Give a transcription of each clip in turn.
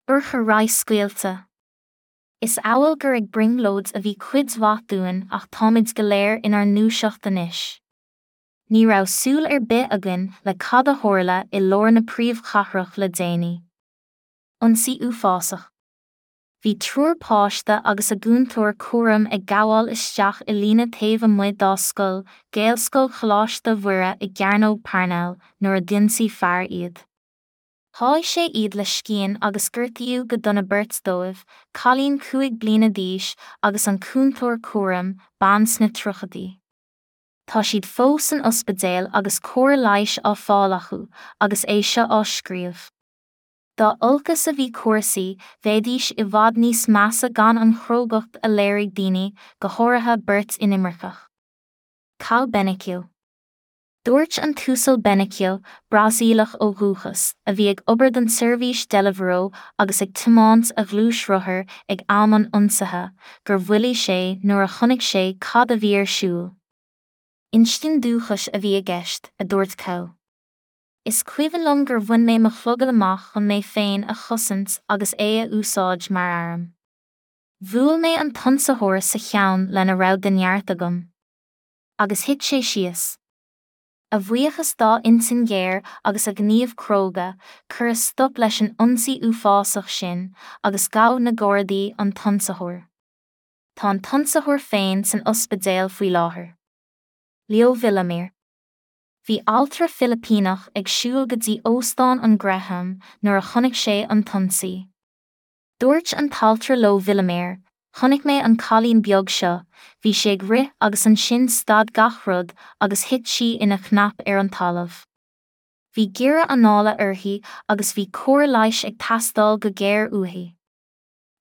Urchar radhscaoilte. Is amhail gur ag brionglóid a bhí cuid mhaith dúinn ach táimid go léir inár ndúiseacht anois. Ní raibh súil ar bith againn le cad a tharla i lár na príomhchathrach le déanaí. Ionsaí uafásach. Bhí triúr páiste agus a gcúntóir cúraim ag gabháil isteach i líne taobh amuigh dá scoil, Gaelscoil Choláiste Mhuire i gCearnóg Parnell, nuair a d'ionsaigh fear iad. Sháigh sé iad le scian agus gortaíodh go dona beirt dóibh, cailín 5 bliana d'aois agus an cúntóir cúraim, bean sna tríochaidí. Tá siad fós san ospidéal agus cóir leighis á fáil acu agus é seo á scríobh. Dá olcas a bhí cúrsaí, bheidís i bhfad níos measa gan an chrógacht a léirigh daoine, go háirithe beirt inimirceach. Cao Benicio. Dúirt an tUasal Benicio, Brasaíleach ó dhúchas, a bhí ag obair don tseirbhís Deliveroo agus ag tiomáint a ghluaisrothair ag am an ionsaithe, gur mhoilligh sé nuair a chonaic sé cad a bhí ar siúl. Instinn dúchais a bhí i gceist, a dúirt Cao. Is cuimhin liom gur bhain mé mo chlogad amach chun mé féin a chosaint agus é a úsáid mar arm. Bhuail mé an t-ionsaitheoir sa cheann lena raibh de neart agam. Agus thit sé síos. A bhuíochas dá intinn ghéar agus a ghníomh cróga, cuireadh stop leis an ionsaí uafásach sin agus ghabh na Gardaí an t-ionsaitheoir. Tá an t-ionsaitheoir féin san ospidéal faoi láthair. Leo Villamir. Bhí altra Filipíneach ag siúl go dtí Óstán an Graham nuair a chonaic sé an t-ionsaí. Dúirt an t-altra Leo Villamir, Chonaic mé an cailín beag seo, bhí sí ag rith agus ansin stad gach rud agus thit sí ina chnap ar an talamh. Bhí giorra anála uirthi agus bhí cóir leighis ag teastáil go géar uaithi.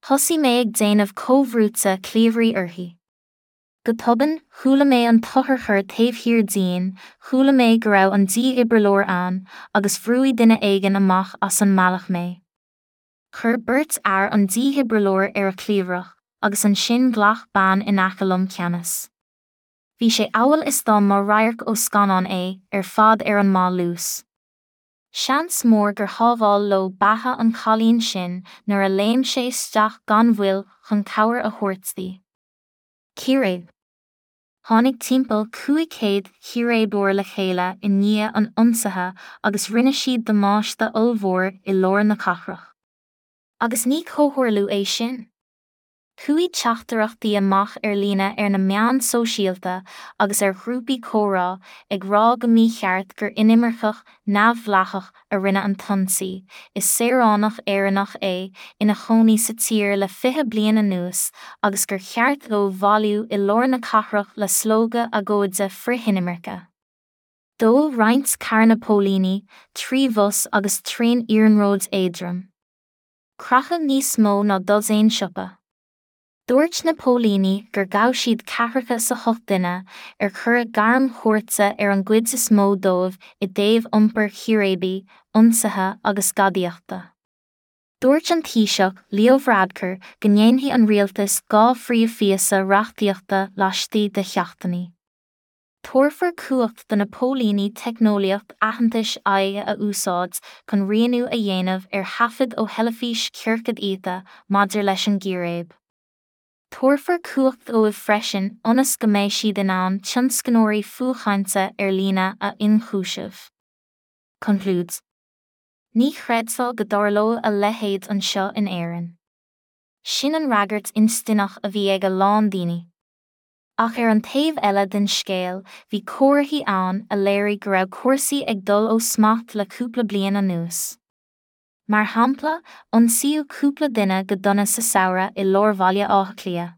Thosaigh mé ag déanamh comhbhrúite cliabhraí uirthi. Go tobann, chuala mé an t-otharcharr taobh thiar dínn, chuala mé go raibh an dífhibrileoir ann agus bhrúigh duine éigin amach as an mbealach mé. Chuir beirt fhear an dífhibrileoir ar a cliabhrach agus ansin ghlac bean in aice liom ceannas. Bhí sé amhail is dá mba radharc ó scannán é ar fad ar an maith luas. Seans mór gur shábháil leo beatha an chailín sin nuair a léim sé isteach gan mhoill chun cabhair a thabhairt di. Círéib. Tháinig timpeall 500 círéibeoir le chéile i ndiaidh an ionsaithe agus rinne siad damáiste ollmhór i lár na cathrach. Agus ní comhtharlú é sin. Chuaigh teachtaireachtaí amach ar líne ar na meáin sóisialta agus ar ghrúpaí comhrá ag rá go mícheart gur inimirceach neamhdhleathach a rinne an t-ionsaí, is saoránach Éireannach é, ina chónaí sa tír le 20 bliain anuas, agus gur cheart dóibh bailiú i lár na cathrach le slógadh agóide frithinimirce. Dódh roinnt carranna póilíní, 3 bhus agus traein iarnróid éadroim. Creachadh níos mó ná dosaen siopa. Dúirt na póilíní gur ghabh siad ceathracha is a hocht duine, ar cuireadh gairm chúirte ar an gcuid is mó dóibh i dtaobh iompair chíréibí, ionsaithe agus gadaíochta. Dúirt an Taoiseach Leo Varadkar go ndéanfaidh an rialtas 2 phríomhphíosa reachtaíochta laistigh de sheachtainí. Tabharfar cumhacht do na póilíní teicneolaíocht aitheantais aghaidhe a úsáid chun rianú a dhéanamh ar thaifid ó theilifís ciorcad iata maidir leis an gcíréib. Tabharfar cumhacht dóibh freisin ionas go mbeidh siad in ann tionscnóirí fuathchainte ar líne a ionchúiseamh. Concludes. Ní chreidfeá go dtarlódh a leithéid anseo in Éirinn. Sin an fhreagairt instinneach a bhí ag a lán daoine. Ach ar an taobh eile den scéal, bhí comharthaí ann a léirigh go raibh cúrsaí ag dul ó smacht le cúpla bliain anuas. Mar shampla, ionsaíodh cúpla duine go dona sa samhradh i lár Bhaile Átha Cliath.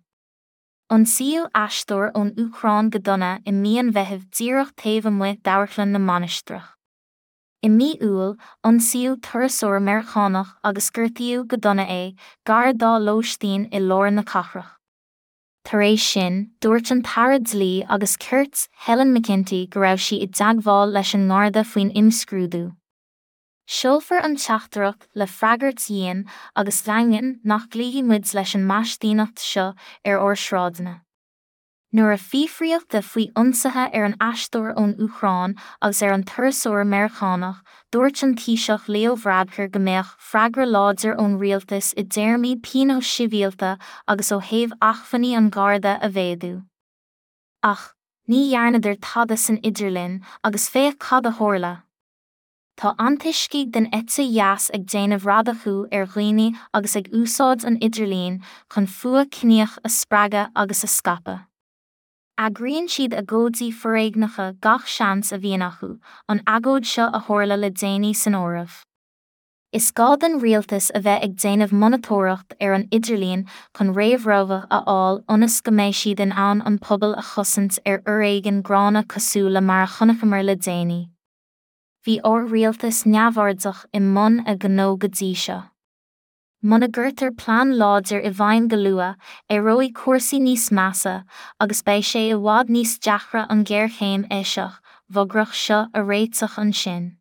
Ionsaíodh aisteoir ón Úcráin go dona i mí an Mheithimh díreach taobh amuigh d'Amharclann na Mainistreach. I mí Iúil, ionsaíodh turasóir Meiriceánach agus gortaíodh go dona é, gar dá lóistín i lár na cathrach. Tar éis sin, dúirt an tAire Dlí agus Cirt, Helen McEntee go raibh sí i dteagmháil leis an nGarda faoin imscrúdú. Seolfar an teachtaireacht le freagairt dhian agus dhaingean nach gcloífidh muid leis an maistíneacht seo ar ár sráideanna. Nuair a fiafraíodh de faoi ionsaithe ar an aisteoir ón Úcráin agus ar an turasóir Meiriceánach, dúirt an Taoiseach Leo Varadkar go mbeadh freagra láidir ón rialtas i dtéarmaí pionóis sibhialta agus ó thaobh acmhainní an Gharda a mhéadú. Ach, ní dhearnadar tada san idirlinn agus féach cad a tharla. Tá antoiscigh den eite dheas ag déanamh radacú ar dhaoine agus ag úsáid an idirlín chun fuath ciníoch a spreagadh agus a scaipeadh. Eagraíonn siad agóidí foréigneacha gach seans a bhíonn acu, an agóid seo a tharla le déanaí san áireamh. Is gá don rialtas a bheith ag déanamh monatóireacht ar an idirlíon chun réamhrabhadh a fháil ionas go mbeidh siad in ann an pobal a chosaint ar fhoréigean gránna cosúil le mar a chonaiceamar le déanaí. Bhí ár rialtas neamhairdeach i mbun a ghnó go dtí seo. Muna gcuirtear plean láidir i bhfeidhm go luath, éireoidh cúrsaí níos measa agus beidh sé i bhfad níos deacra an ghéarchéim eisiach, bhagrach seo a réiteach ansin.